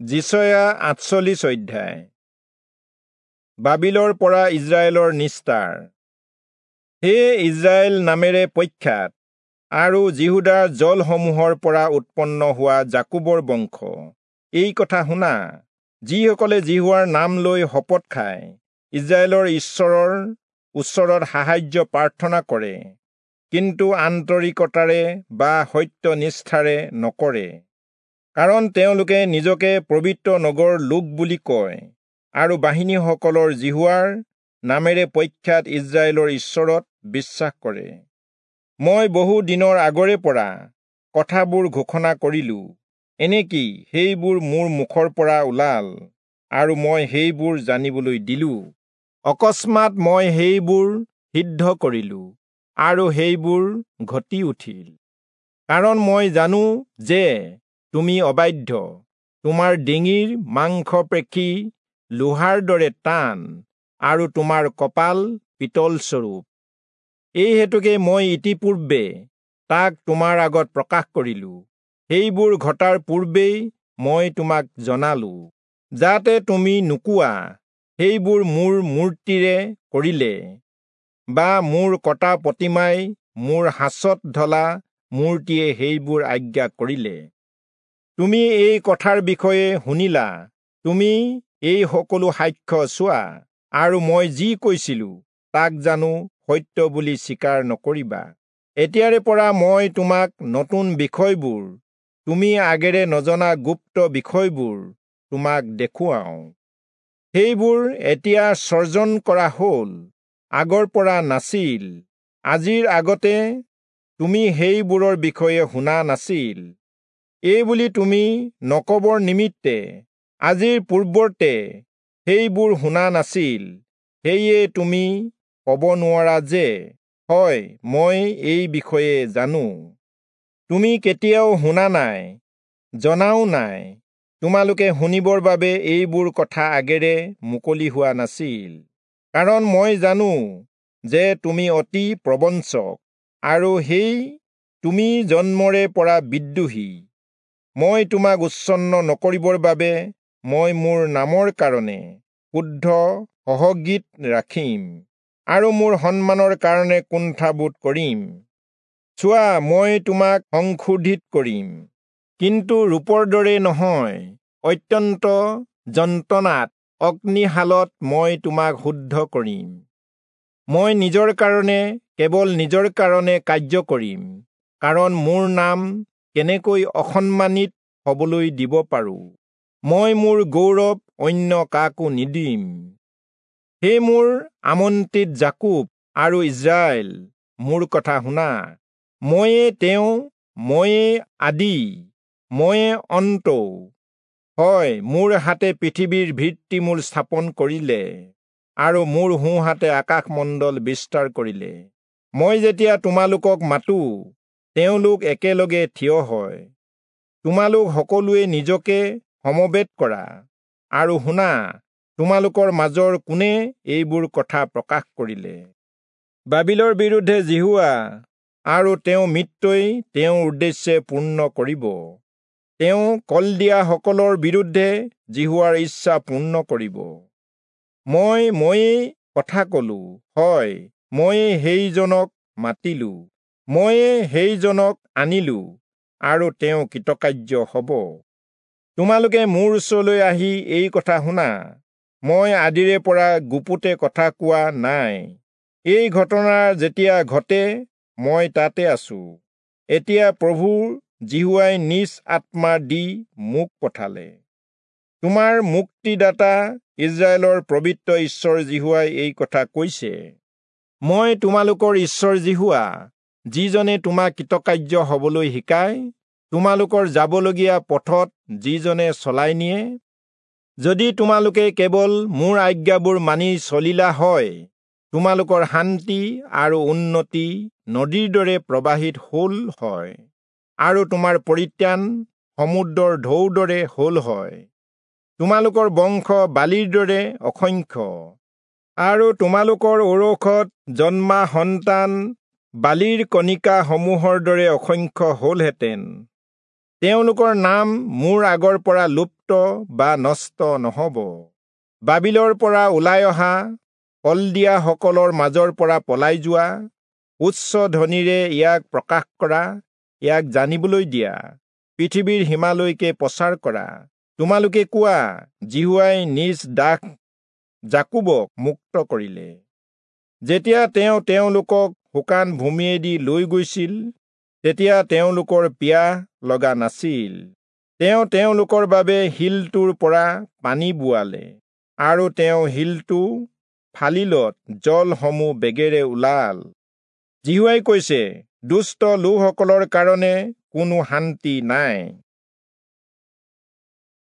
যিচয়া 48 অধ্যায়। বাবিলৰ পৰা ইজৰাইলৰ নিস্তাৰ। হে ইজৰাইল নামেৰে প্ৰখ্যাত আৰু যিহূদাৰ জলসমূহৰ পৰা উৎপন্ন হোৱা যাকোবৰ বংশ, এই কথা শুনা। যিসকলে যিহোৱাৰ নাম লৈ শপত খায়, ইজৰাইলৰ ঈশ্বৰৰ ওচৰত সাহায্য প্ৰাৰ্থনা কৰে, কিন্তু আন্তৰিকতাৰে বা সত্যনিষ্ঠাৰে নকৰে, কাৰণ তেওঁলোকে নিজকে পবিত্ৰ নগৰ লোক বুলি কয় আৰু বাহিনীসকলৰ যিহোৱাৰ নামেৰে প্ৰখ্যাত ইজৰাইলৰ ঈশ্বৰত বিশ্বাস কৰে। মই বহু দিনৰ আগৰে পৰা কথাবোৰ ঘোষণা কৰিলো, এনেকি সেইবোৰ মোৰ মুখৰ পৰা ওলাল আৰু মই সেইবোৰ জানিবলৈ দিলো। অকস্মাত মই সেইবোৰ সিদ্ধ কৰিলো আৰু সেইবোৰ ঘটি উঠিল। কাৰণ মই জানো যে তুমি অবাধ্য, তোমাৰ ডিঙিৰ মাংসপেশী লোহাৰ দৰে টান আৰু তোমাৰ কপাল পিতলস্বৰূপ। এই হেতুকে মই ইতিপূৰ্বে তাক তোমাৰ আগত প্ৰকাশ কৰিলো, সেইবোৰ ঘটাৰ পূৰ্বেই মই তোমাক জনালো, যাতে তুমি নোকোৱা, সেইবোৰ মোৰ মূৰ্তিৰে কৰিলে, বা মোৰ কটা প্ৰতিমাই মোৰ সাঁচত ঢলা মূৰ্তিয়ে সেইবোৰ আজ্ঞা কৰিলে। তুমি এই কথাৰ বিষয়ে শুনিলা, তুমি এই সকলো সাক্ষ্য চোৱা, আৰু মই যি কৈছিলো তাক জানো সত্য বুলি স্বীকাৰ নকৰিবা। এতিয়াৰে পৰা মই তোমাক নতুন বিষয়বোৰ, তুমি আগেৰে নজনা গুপ্ত বিষয়বোৰ তোমাক দেখুৱাওঁ। সেইবোৰ এতিয়া সৰ্জন কৰা হ'ল, আগৰ পৰা নাছিল, আজিৰ আগতে তুমি সেইবোৰৰ বিষয়ে শুনা নাছিল। এই বুলি তুমি নকবৰ নিমিত্তে আজিৰ পূৰ্বতে সেইবোৰ শুনা নাছিল, সেয়ে তুমি ক'ব নোৱাৰা যে, হয়, মই এই বিষয়ে জানো। তুমি কেতিয়াও শুনা নাই, জনাও নাই, তোমালোকে শুনিবৰ বাবে এইবোৰ কথা আগেৰে মুকলি হোৱা নাছিল। কাৰণ মই জানো যে তুমি অতি প্ৰবঞ্চক আৰু সেই তুমি জন্মৰে পৰা বিদ্ৰোহী। মই তোমাক উচ্ছন্ন নকৰিবৰ বাবে মই মোৰ নামৰ কাৰণে শুদ্ধ সহগীত ৰাখিম আৰু মোৰ সন্মানৰ কাৰণে কুণ্ঠাবোধ কৰিম। চোৱা, মই তোমাক সংশোধিত কৰিম, কিন্তু ৰূপৰ দৰে নহয়, অত্যন্ত যন্ত্ৰণাত অগ্নিশালত মই তোমাক শুদ্ধ কৰিম। মই নিজৰ কাৰণে, কেৱল নিজৰ কাৰণে কাৰ্য কৰিম, কাৰণ মোৰ নাম কেনেকৈ অসন্মানিত হবলৈ দিব পাৰো? মই মোৰ গৌৰৱ অন্য কাকো নিদিম। হে মোৰ আমন্ত্ৰিত যাকোব আৰু ইজৰাইল, মোৰ কথা শুনা। ময়ে তেওঁ, ময়ে আদি, ময়ে অন্তও। হয়, মোৰ হাতে পৃথিৱীৰ ভিত্তিমূল স্থাপন কৰিলে আৰু মোৰ সোঁহাতে আকাশমণ্ডল বিস্তাৰ কৰিলে। মই যেতিয়া তোমালোকক মাতো, তেওঁলোক একেলগে থিয় হয়। তোমালোক সকলোৱে নিজকে সমবেত কৰা আৰু শুনা, তোমালোকৰ মাজৰ কোনে এইবোৰ কথা প্ৰকাশ কৰিলে? বাবিলৰ বিৰুদ্ধে যিহোৱা আৰু তেওঁ মিত্ৰই তেওঁৰ উদ্দেশ্যে পূৰ্ণ কৰিব। তেওঁ কলদিয়াসকলৰ বিৰুদ্ধে যিহোৱাৰ ইচ্ছা পূৰ্ণ কৰিব। ময়েই কথা কলো, হয়, ময়ে সেইজনক মাতিলো, ময়ে সেইজনক আনিলো, আৰু তেওঁ কৃতকাৰ্য হ'ব। তোমালোকে মোৰ ওচৰলৈ আহি এই কথা শুনা। মই আদিৰে পৰা গুপুতে কথা কোৱা নাই। এই ঘটনা যেতিয়া ঘটে, মই তাতে আছো। এতিয়া প্ৰভু যিহোৱাই নিজ আত্মা দি মোক পঠালে। তোমাৰ মুক্তিদাতা ইজৰাইলৰ পবিত্ৰ ঈশ্বৰ যিহোৱাই এই কথা কৈছে। মই তোমালোকৰ ঈশ্বৰ যিহোৱা, যিজনে তোমাক কৃতকাৰ্য হবলৈ শিকায়, তোমালোকৰ যাবলগীয়া পথত যিজনে চলাই নিয়ে। যদি তোমালোকে কেৱল মোৰ আজ্ঞাবোৰ মানি চলিলা হয়, তোমালোকৰ শান্তি আৰু উন্নতি নদীৰ দৰে প্ৰবাহিত হ'ল হয়, আৰু তোমাৰ পৰিত্ৰাণ সমুদ্ৰৰ ঢৌৰ দৰে হ'ল হয়। তোমালোকৰ বংশ বালিৰ দৰে অসংখ্য, আৰু তোমালোকৰ ঔৰসত জন্মা সন্তান বালিৰ কণিকাসমূহৰ দৰে অসংখ্য হ'লহেঁতেন। তেওঁলোকৰ নাম মোৰ আগৰ পৰা লুপ্ত বিলুপ্ত বা নষ্ট নহ'ব। বাবিলৰ পৰা ওলাই অহা, কলদিয়াসকলৰ মাজৰ পৰা পলাই যোৱা, উচ্চ ধ্বনিৰে ইয়াক প্ৰকাশ কৰা, ইয়াক জানিবলৈ দিয়া, পৃথিৱীৰ সীমালৈকে প্ৰচাৰ কৰা। তোমালোকে কোৱা, যিহোৱাই নিজ দাস যাকোবক মুক্ত কৰিলে। যেতিয়া তেওঁ তেওঁলোকক শুকান ভূমিয়েদি লৈ গৈছিল, তেতিয়া তেওঁলোকৰ পিয়াহ লগা নাছিল। তেওঁ তেওঁলোকৰ বাবে শিলটোৰ পৰা পানী বোৱালে, আৰু তেওঁ শিলটো ফালিলত জলসমূহ বেগেৰে ওলাল। যিহোৱাই কৈছে, দুষ্ট লোকসকলৰ কাৰণে কোনো শান্তি নাই।